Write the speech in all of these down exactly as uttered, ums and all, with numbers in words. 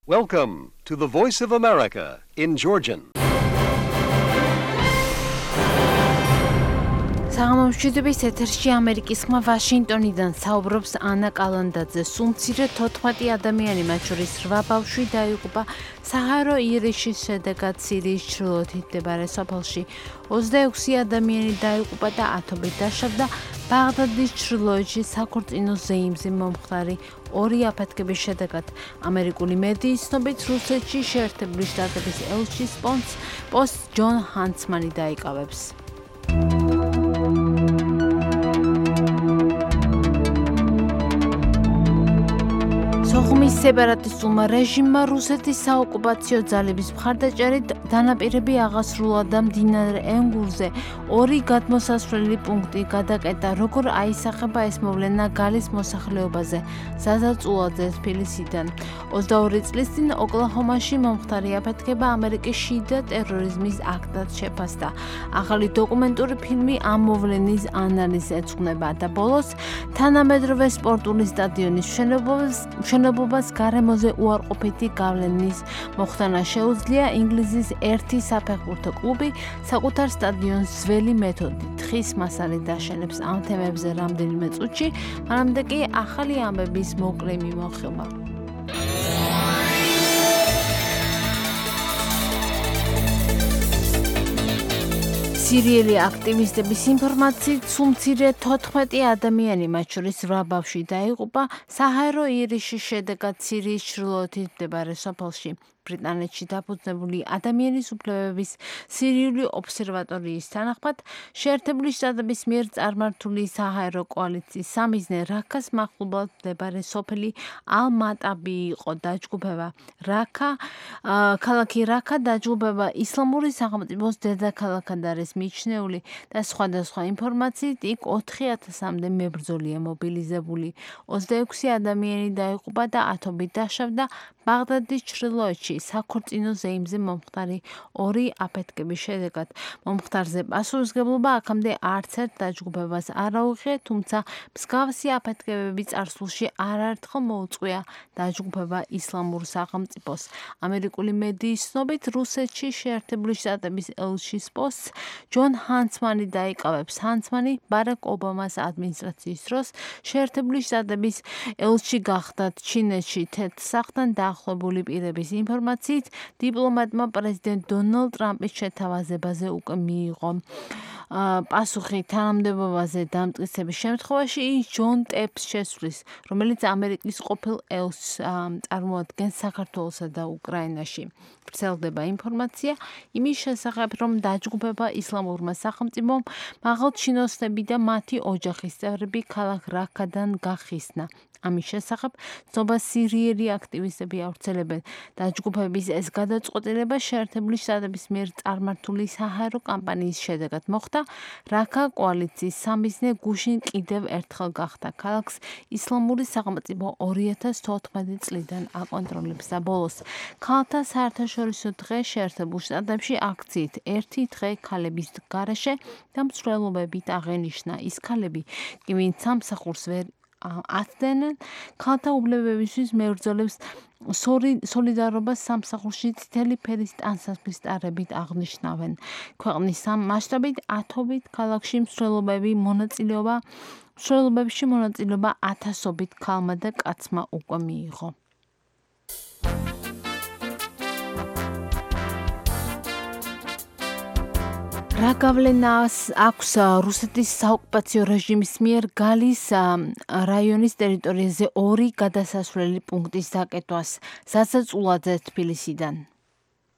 Welcome to the Voice of America in Georgian. საღამომშვიდობის ეთერში ამერიკის ხმა ვაშინგტონიდან საუბრობს ანა კალანდაძე. სულ მცირე თოთხმეტი ადამიანი, მათ შორის რვა ბავშვი დაიღუპა საჰარო ირიშის შედეგად სირიის ჩრდილოეთით მდებარე სოფელში. ოცდაექვსი ადამიანი დაიღუპა და ათობით დაშავდა ბაღდადის ჩრდილოეთში საქორწინო ზეიმზე მომხდარი ორი აფეთქების შედეგად. ამერიკული მედიის ცნობით, რუსეთში შეერთებული შტატების ელჩის პოსტს ჯონ ჰანცმანი დაიკავებს. სოხუმის სეპარატისტულმა რეჟიმმა რუსეთის საოკუპაციო ძალების მხარდაჭერით დანაპირები აღასრულა და მდინარე ენგურზე ორი გადმოსასვლელი პუნქტი გადაკეტა, როგორ აისახება ეს მოვლენა გალის მოსახლეობაზე. ზაზა წულაძე თბილისიდან. ოცდაორი წლის წინ ოკლაჰომაში მომხდარი აფეთქება ამერიკის შიდა ტერორიზმის აქტად შეფასდა. ახალი დოკუმენტური ფილმი ამ მოვლენის ანალიზს ეძღვნება და ბოლოს თანამედროვე სპორტული სტადიონის მშენებლობას მშენებლობას გარემოზე უარყოფითი გავლენის მოხდანა შეუძლია. ინგლისის ერთი საფეხბურთო კლუბი საკუთარ სტადიონს ძველი მეთოდით ხის მასალით დაშენებს. ამ თემებზე რამდენიმე წუთში, მანამდე კი ახალი ამბების მოკლე მიმოხილვა. სირიელი აქტივისტების ინფორმაციით, სულ მცირე თოთხმეტი ადამიანი, მათ შორის რვა ბავშვი დაიღუპა საჰარო ირიშის შედეგად სირიის ჩრდილოეთით მდებარე სოფელში. ბრიტანეთში დაფუძნებული ადამიანის უფლებების სირიული ობსერვატორიის თანახმად, შეერთებული შტატების მიერ წარმართული საჰაერო კოალიციის სამიზნე რაქას მახლობლად მდებარე სოფელი ალ-მატაბი იყო დაჯგუფება. რაქა, ქალაქი რაქა დაჯგუფება ისლამური სახელმწიფოს დედაქალაქად არის მიჩნეული და სხვადასხვა ინფორმაციით იქ ოთხი ათასამდე მებრძოლია მობილიზებული. ოცდაექვსი ადამიანი დაიღუპა და ათობით დაშავდა ბაღდადის ჩრდილოეთში საქორწინო ზეიმზე მომხდარი ორი აფეთქების შედეგად. მომხდარზე პასუხისმგებლობა აქამდე არც ერთ დაჯგუფებას არ აუღია, თუმცა მსგავსი აფეთქებები წარსულში არაერთხელ მოუწყვია დაჯგუფება ისლამურ სახელმწიფოს. ამერიკული მედიის ცნობით, რუსეთში შეერთებული შტატების ელჩის პოსტს ჯონ ჰანცმანი დაიკავებს. ჰანცმანი ბარაკ ობამას ადმინისტრაციის დროს შეერთებული შტატების ელჩი გახდათ ჩინეთში თეთრსახთან დაახლოებული პირების ინფორმაციით, დიპლომატმა პრეზიდენტ დონალდ ტრამპის შეთავაზებაზე უკვე მიიღო პასუხი თანამდებობაზე დამტკიცების შემთხვევაში ის ჯონ ტეპს შესვლის, რომელიც ამერიკის ყოფილ ელჩს წარმოადგენს საქართველოსა და უკრაინაში. ვრცელდება ინფორმაცია იმის შესახებ, რომ დაჯგუფება ისლამურმა სახელმწიფომ მაღალჩინოსნები და მათი ოჯახის წევრები ქალაქ რაქადან გახისნა. ამის შესახებ ცნობა სირიელი აქტივისტები ავრცელებენ. დაჯგუფების ეს გადაწყვეტილება შეერთებული შტატების მიერ წარმართული საჰაერო კამპანიის შედეგად მოხდა. რაქა კოალიციის სამიზნე გუშინ კიდევ ერთხელ გახდა. ქალაქს ისლამური სახელმწიფო ორი ათას თოთხმეტი წლიდან აკონტროლებს და ბოლოს ქალთა საერთაშორისო დღე შეერთებულ შტატებში აქციით ერთი დღე ქალების გარეშე და მსვლელობებით აღენიშნა. ის ქალები კი ვინც სამსახურს ვერ აცდენენ, ქალთა უფლებებისთვის მებრძოლებს სოლიდარობას სამსახურში წითელი ფერის ტანსაცმლის ტარებით აღნიშნავენ. ქვეყნის მასშტაბით ათობით ქალაქში მსვლელობები მონაწილეობა მსვლელობებში მონაწილეობა ათასობით ქალმა და კაცმა უკვე მიიღო. რა გავლენას აქვს რუსეთის საოკუპაციო რეჟიმის მიერ გალის რაიონის ტერიტორიაზე ორი გადასასვლელი პუნქტის დაკეტვას? ზაზა წულაძე თბილისიდან.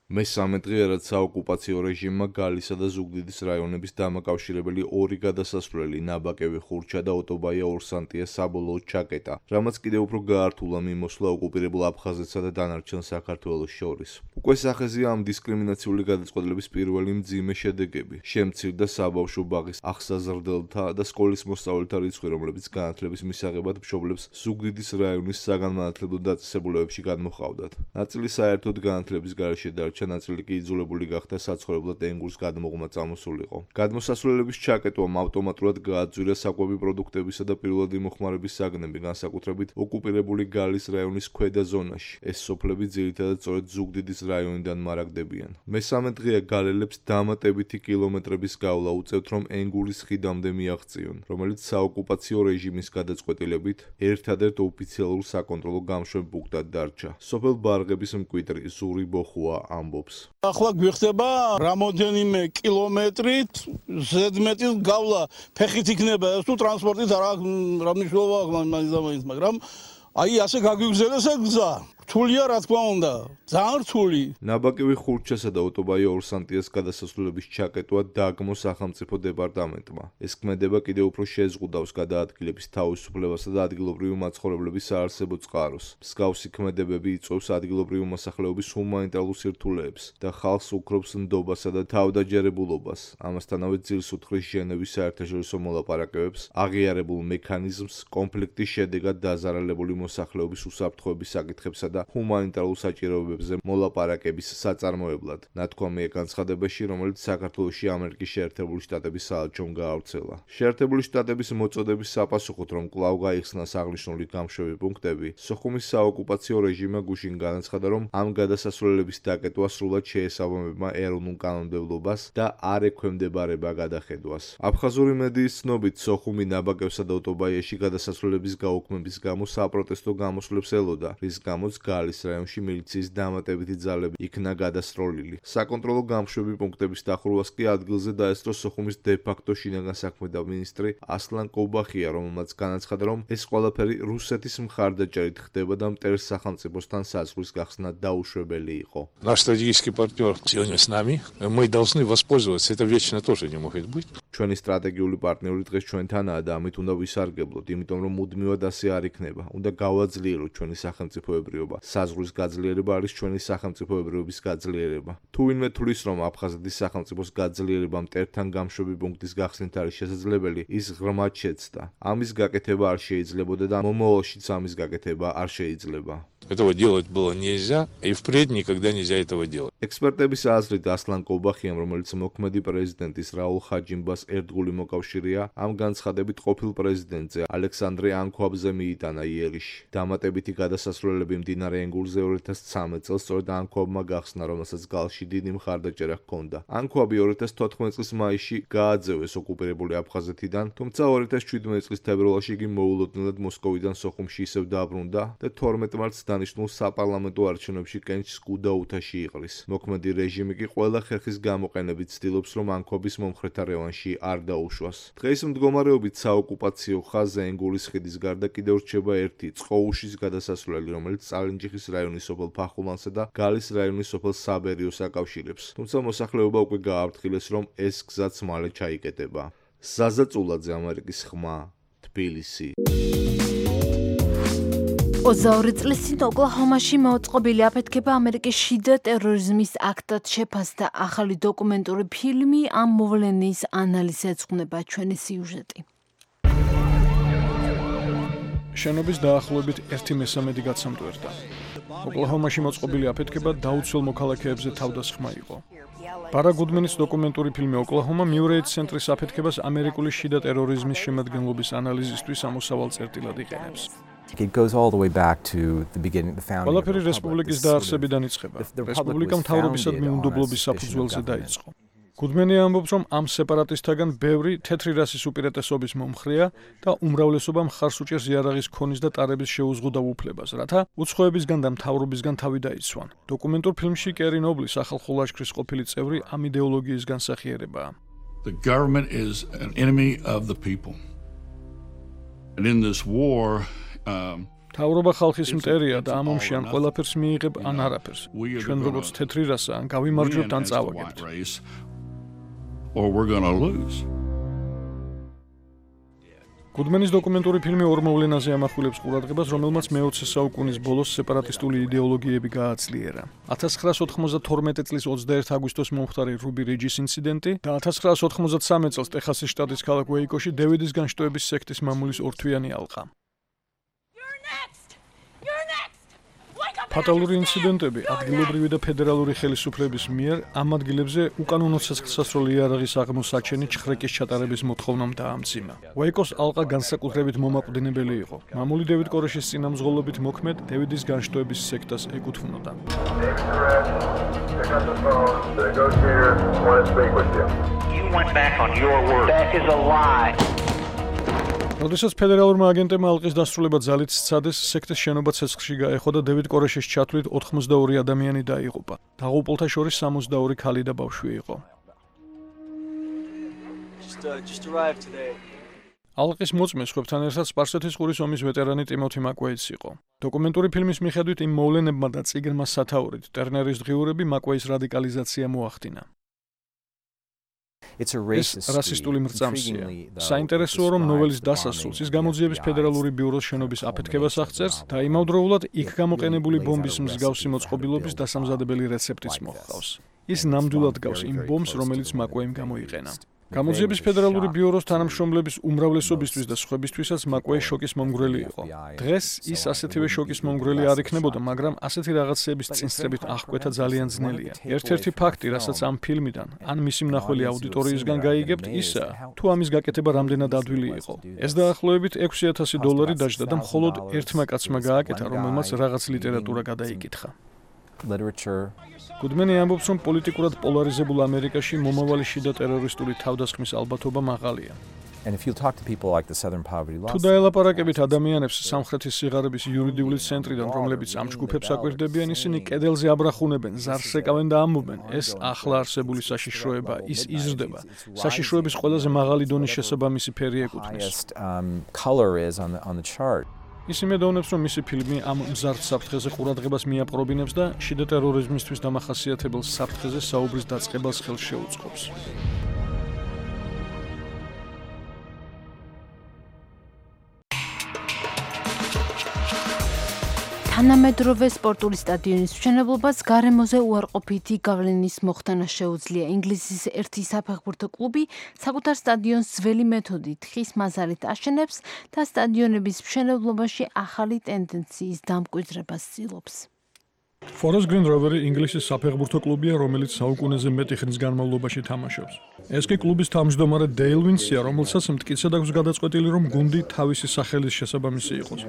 მესამე დღეა, რაც საოკუპაციო რეჟიმმა გალისა და ზუგდიდის რაიონების დამაკავშირებელი ორი გადასასვლელი ნაბაკევი ხურჩა და ოტობაია ორსანტია საბოლოოდ ჩაკეტა, რამაც კიდევ უფრო გაართულა მიმოსვლა ოკუპირებულ აფხაზეთსა და დანარჩენ საქართველოს შორის. უკვე სახეზეა ამ დისკრიმინაციული გადაწყვეტილების პირველი მძიმე შედეგები. შემცირდა საბავშვო ბაღის ახსაზრდელთა და სკოლის მოსწავლეთა რიცხვი, რომლებიც განათლების მისაღებად მშობლებს ზუგდიდის რაიონის საგანმანათლებლო დაწესებულებებში გადმოჰყავდათ. ნაწილი საერთოდ განათლების გარეშე დარჩა, ნაწილი კი იძულებული გახდა საცხოვრებლად ენგურს გადმოღმა წამოსულიყო. გადმოსასვლელების ჩაკეტვამ ავტომატურად გააძვირა საკვები პროდუქტებისა და პირველადი მოხმარების საგნები, განსაკუთრებით ოკუპირებული გალის რაიონის ქვედა ზონაში. ეს სოფლები ძირითადად სწორედ ზუგდიდის რაიონიდან მარაგდებიან. მესამე დღეა გალელებს დამატებითი კილომეტრების გავლა უწევთ, რომ ენგურის ხიდამდე მიაღწიონ, რომელიც საოკუპაციო რეჟიმის გადაწყვეტილებით ერთადერთ ოფიციალურ საკონტროლო გამშვებ პუნქტად დარჩა. სოფელ ბარღების მკვიდრი ზური ბოხუა ამბობს. ახლა გვიხდება რამოდენიმე კილომეტრით ზედმეტის გავლა ფეხით იქნება ეს თუ ტრანსპორტით არა რა მნიშვნელობა აქვს, მაგრამ აი ასე გაგვიგზელეს ეს გზა. რთულია რა თქმა უნდა, ძალიან რთული. ნაბაკევი ხურჩასა და ოტობაია ორსანტიას გადასასვლელების ჩაკეტვა დაგმო სახელმწიფო დეპარტამენტმა. ეს ქმედება კიდევ უფრო შეზღუდავს გადაადგილების თავისუფლებასა და ადგილობრივი მაცხოვრებლების საარსებო წყაროს. მსგავსი ქმედებები იწვევს ადგილობრივი მოსახლეობის ჰუმანიტარულ სირთულეებს და ხალხს უქრობს ნდობასა და თავდაჯერებულობას. ამასთანავე ძილს უთხრის ჟენევის საერთაშორისო მოლაპარაკებებს, აღიარებულ მექანიზმს კონფლიქტის შედეგად დაზარალებული მოსახლეობის უსაფრთხოების საკითხებსა და ჰუმანიტარულ საჭიროებებზე მოლაპარაკების საწარმოებლად. ნათქვამია განცხადებაში, რომელიც საქართველოში ამერიკის შეერთებული შტატების საელჩომ გაავრცელა. შეერთებული შტატების მოწოდების საპასუხოდ, რომ კვლავ გაიხსნას აღნიშნული გამშვები პუნქტები, სოხუმის საოკუპაციო რეჟიმმა გუშინ განაცხადა, რომ ამ გადასასვლელების დაკეტვა სრულად შეესაბამება ეროვნულ კანონმდებლობას და არ ექვემდებარება გადახედვას. აფხაზური მედიის ცნობით, სოხუმი, ნაბაკევსა და ოტობაიაში გადასასვლელების გაუქმების გამო საპროტესტო გამოსვლებს ელოდა, რის გამოც გალის რაიონში მილიციის დამატებითი ძალები იქნა გადასროლილი. საკონტროლო გამშვები პუნქტების დახურვას კი ადგილზე დაესწრო სოხუმის დე-ფაქტო შინაგან საქმეთა მინისტრი ასლან კობახია, რომელმაც განაცხადა, რომ ეს ყველაფერი რუსეთის მხარდაჭერით ხდება და მტერს სახელმწიფოსთან საზღვრის გახსნა დაუშვებელი იყო. Наш стратегический партнер сегодня с нами. Мы должны воспользоваться. Это вечно тоже не может быть. ჩვენი სტრატეგიული პარტნიორი დღეს ჩვენთანაა და ამით უნდა ვისარგებლოთ, იმიტომ რომ მუდმივად ასე არ იქნება. უნდა გავაძლიეროთ ჩვენი სახელმწიფოებრიობა. საზღვრის გაძლიერება არის ჩვენი სახელმწიფოებრიობის გაძლიერება. თუ ვინმე თვლის, რომ აფხაზეთის სახელმწიფოს გაძლიერება მტერთან გამშვები პუნქტის გახსნით არის შესაძლებელი, ის ღრმად შეცდა. ამის გაკეთება არ შეიძლებოდა და მომავალშიც ამის გაკეთება არ შეიძლება. Этого делать было нельзя, и впредь никогда нельзя этого делать. Экспертების აზრით ასლან კობახიამ, რომელიც მოქმედი პრეზიდენტის რაულ ხაჯიმბას ერთგული მოკავშირეა, ამ განცხადებით ყოფილ პრეზიდენტზე ალექსანდრე ანქვაბზე მიიტანა იერიში. დამატებითი გადასასვლელები მდინარე ენგურზე ორი ათას ცხრამეტ წელს სწორედ ანქვაბმა გახსნა, რომელსაც გალში დიდი მხარდაჭერა ჰქონდა. ანქვაბი ორი ათას თოთხმეტ წლის მაისში გააძევეს ოკუპირებული აფხაზეთიდან, თუმცა ორი ათას შვიდმეტ წლის თებერვალში იგი მოულოდნელად მოსკოვიდან სოხუმში ისევ დაბრუნდა და თორმეტ მარტს დანიშნულ საპარლამენტო არჩევნებში კენჭს კუდაუთაში იყრის. მოქმედი რეჟიმი კი ყველა ხერხის გამოყენებით ცდილობს, რომ ანქვაბის მომხრეთა რევანში არ დაუშვას. დღეს მდგომარეობით საოკუპაციო ხაზზე ენგურის ხიდის გარდა კიდევ რჩება ერთი წყოუშის გადასასვლელი, რომელიც წალენჯიხის რაიონის სოფელ ფახულანსა და გალის რაიონის სოფელ საბერიოს აკავშირებს. თუმცა მოსახლეობა უკვე გააფრთხილეს, რომ ეს გზაც მალე ჩაიკეტება. ზაზა წულაძე, ამერიკის ხმა, თბილისი. ოცდაორი წლის წინ ოკლაჰომაში მოწყობილი აფეთქება ამერიკის შიდა ტერორიზმის აქტად შეფასდა. ახალი დოკუმენტური ფილმი ამ მოვლენის ანალიზს ეძღვნება ჩვენი სიუჟეტი. შენობის დაახლოებით ერთი მესამედი გაცემტვერდა. ოკლაჰომაში მოწყობილი აფეთქება დაუცველ მოქალაქეებზე თავდასხმა იყო. ბარა გუდმენის დოკუმენტური ფილმი ოკლაჰომა მიურეით ცენტრის აფეთქებას ამერიკული შიდა ტერორიზმის შემადგენლობის ანალიზისთვის ამოსავალ წერტილად იყენებს. It goes all the way back to the beginning, the founding. ყველაფერი რესპუბლიკის დაარსებიდან იწყება. რესპუბლიკა მთავრობისა და მიუნდობლობის საფუძველზე დაიწყო. გუდმენი ამბობს, რომ ამ სეპარატისტთაგან ბევრი თეთრი რასის უპირატესობის მომხრეა და უმრავლესობა მხარს უჭერს იარაღის ქონის და ტარების შეუზღუდავ უფლებას, რათა უცხოებისგან და მთავრობისგან თავი დაიცვან. დოკუმენტურ ფილმში კერი ნობლი სახალხო ლაშქრის ყოფილი წევრი ამ იდეოლოგიის განსახიერებაა. The government is an enemy of the people. And in this war თავრობა ხალხის მტერია და ამ ომში ან ყველაფერს მიიღებ ან არაფერს. ჩვენ როგორც თეთრი რასა ან გავიმარჯვებთ ან წავაგებთ. გუდმენის დოკუმენტური ფილმი ორ მოვლენაზე ამახვილებს ყურადღებას, რომელმაც მეოცე საუკუნის ბოლოს სეპარატისტული იდეოლოგიები გააძლიერა. ათას ცხრაას ოთხმოცდათორმეტი წლის ოცდაერთი აგვისტოს მომხდარი რუბი რიჯის ინციდენტი და ათას ცხრაას ოთხმოცდასამი წელს ტეხასის შტატის ქალაქ უეიკოში დევიდის განშტოების სექტის მამულის ორთვიანი ალყა. ფატალური ინციდენტები ადგილობრივი და ფედერალური ხელისუფლების მიერ ამ ადგილებზე უკანონო ცეცხლსასროლი იარაღის აღმოსაჩენი ჩხრეკის ჩატარების მოთხოვნამ დაამძიმა. უეიკოს ალყა განსაკუთრებით მომაკვდინებელი იყო. მამული დევიდ კორეშის წინამძღოლობით მოქმედ დევიდის განშტოების სექტას ეკუთვნოდა. როდესაც ფედერალურმა აგენტებმა ალყის დასრულება ძალით სცადეს, სექტის შენობა ცეცხლში გაეხო და დევიდ კორეშის ჩათვლით ოთხმოცდაორი ადამიანი დაიღუპა. დაღუპულთა შორის სამოცდაორი ქალი და ბავშვი იყო. ალყის მოწმეს ხვებთან ერთად სპარსეთის ყურის ომის ვეტერანი ტიმოთი მაკვეიც იყო. დოკუმენტური ფილმის მიხედვით იმ მოვლენებმა და წიგნმა სათაურით ტერნერის დღიურები მაკვეის რადიკალიზაცია მოახდინა. ეს რასისტული მრწამსია. საინტერესოა, რომ ნოველის დასასრულს ის გამოძიების ფედერალური ბიუროს შენობის აფეთქებას აღწერს და იმავდროულად იქ გამოყენებული ბომბის მსგავსი მოწყობილობის დასამზადებელი რეცეპტიც მოჰყავს. ის ნამდვილად გავს იმ ბომბს, რომელიც მაკვეიმ გამოიყენა. გამოძიების ფედერალური ბიუროს თანამშრომლების უმრავლესობისთვის და სხვებისთვისაც მაკვეი შოკის მომგვრელი იყო. დღეს ის ასეთივე შოკის მომგვრელი არ იქნებოდა, მაგრამ ასეთი რაღაცეების წინსწრებით აღკვეთა ძალიან ძნელია. ერთ-ერთი ფაქტი, რასაც ამ ფილმიდან ან მისი მნახველი აუდიტორიისგან გაიგებთ, ისაა, თუ ამის გაკეთება რამდენად ადვილი იყო. ეს დაახლოებით ექვსი ათასი დოლარი დაჯდა და მხოლოდ ერთმა კაცმა გააკეთა, რომელმაც რაღაც ლიტერატურა გადაიკითხა. გუდმენი ამბობს, რომ პოლიტიკურად პოლარიზებულ ამერიკაში მომავალი შიდა ტერორისტული თავდასხმის ალბათობა მაღალია. თუ დაელაპარაკებით ადამიანებს სამხრეთის სიღარიბის იურიდიული ცენტრიდან, რომლებიც ამ ჯგუფებს აკვირდებიან, ისინი კედელზე აბრახუნებენ, ზარს ეკავენ და ამბობენ, ეს ახლა არსებული საშიშროება, ის იზრდება. საშიშროების ყველაზე მაღალი დონის შესაბამისი ფერი ეკუთვნის. ის იმედოვნებს, რომ მისი ფილმი ამ მზარდ საფრთხეზე ყურადღებას მიაპყრობინებს და შიდა ტერორიზმისთვის დამახასიათებელ საფრთხეზე საუბრის დაწყებას ხელს შეუწყობს. თანამედროვე სპორტული სტადიონის მშენებლობას გარემოზე უარყოფითი გავლენის მოხდანა შეუძლია. ინგლისის ერთი საფეხბურთო კლუბი საკუთარ სტადიონს ძველი მეთოდით ხის მაზარით აშენებს და სტადიონების მშენებლობაში ახალი ტენდენციის დამკვიდრებას ცდილობს. Forest Green Rovers ინგლისის საფეხბურთო კლუბია, რომელიც საუკუნეზე მეტი ხნის განმავლობაში თამაშობს. ეს კი კლუბის თავმჯდომარე Dale Vince-ია, რომელსაც მტკიცედ აქვს გადაწყვეტილი, რომ გუნდი თავისი სახელის შესაბამისი იყოს.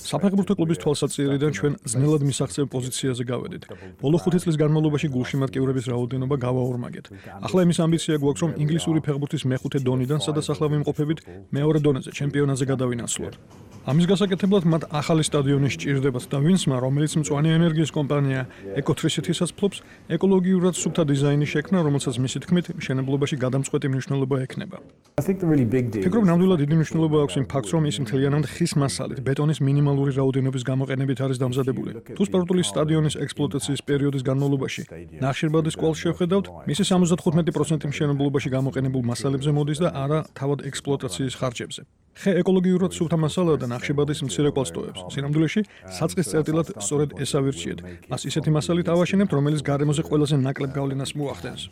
საფეხბურთო კლუბის თვალსაჩინოდან ჩვენ ძნელად მისაღწევ პოზიციაზე გავედით. ბოლო ხუთი წლის განმავლობაში გულშემატკივრების რაოდენობა გავაორმაგეთ. ახლა იმის ამბიცია გვაქვს, რომ ინგლისური ფეხბურთის მეხუთე დონიდან, სადაც ახლა ვიმყოფებით, მეორე დონეზე, ჩემპიონატზე გადავინაცვლოთ. ამის გასაკეთებლად მათ ახალი სტადიონი სჭირდებათ და Vince-მა, რომელიც მწვანე ენერგიის კომპანია Ecotricity-საც ფლობს, ეკოლოგიურად სუფთა დიზაინი შექმნა, რომელსაც მისი თქმით, მშენებლობაში გადამწყვეტი მნიშვნელობა ექნება. ფიქრობ, ნამდვილად დიდი მნიშვნელობა აქვს იმ ფაქტს, რომ ის მთლიანად ხის მასალით, ბეტონის მინიმალური რაოდენობის გამოყენებით არის დამზადებული. თუ სპორტული სტადიონის ექსპლუატაციის პერიოდის განმავლობაში ნახშირბადის კვალს შევხედავთ, მისი სამოცდათხუთმეტი პროცენტი მშენებლობაში გამოყენებულ მასალებზე მოდის და არა თავად ექსპლუატაციის ხარჯებზე. ხე ეკოლოგიურად სუფთა მასალაა და ნახშირბადის მცირე კვალს ტოვებს. სინამდვილეში, საწყის წერტილად სწორედ ეს ავირჩიეთ. მას ისეთი მასალით ავაშენებთ, რომელიც გარემოზე ყველაზე ნაკლებ გავლენას მოახდენს.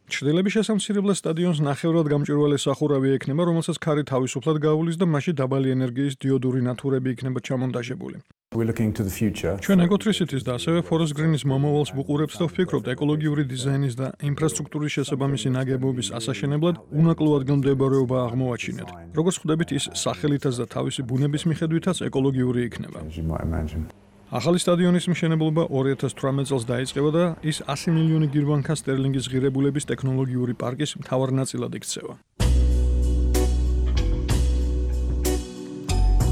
ჩრდილების შესამცირებლად სტადიონს ნახევრად გამჭვირვალე სახურავი ექნება, რომელსაც ქარი თავისუფლად გავulis და მასში დაბალი ენერგიის დიოდური ნათურები იქნება ჩამონტაჟებული. ჩვენ Ecotricity-ს და ასევე Forest Green-ის მომავალს ვუყურებთ და ვფიქრობთ, ეკოლოგიური დიზაინის და ინფრასტრუქტურის შესაბამისი ნაგებობის ასაშენებლად უნაკლო ადგილმდებარეობა აღმოაჩინეთ. როგორც ხვდებით, ის სახელითაც და თავისი ბუნების მიხედვითაც ეკოლოგიური იქნება. ახალი სტადიონის მშენებლობა ორი ათას თვრამეტ წელს დაიწყება და ის ასი მილიონი გირვანქა სტერლინგის ღირებულების ტექნოლოგიური პარკის მთავარ ნაწილად იქცევა.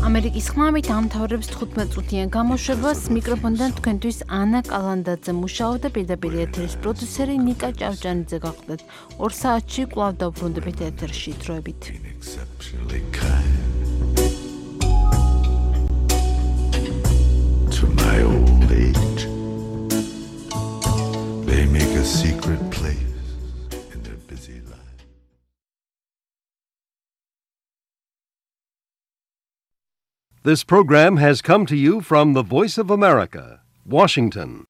ამერიკის ხმამით ამთავრებს თხუთმეტ წუთიან გამოშვებას. მიკროფონიდან თქვენთვის ანა კალანდაძე მუშაობდა, პირდაპირ ეთერის პროდიუსერი ნიკა ჭავჭანიძე გახლდეთ. ორ საათში კვლავ დავბრუნდებით ეთერში. დროებით. To my old age, they make a secret place. This program has come to you from the Voice of America, Washington.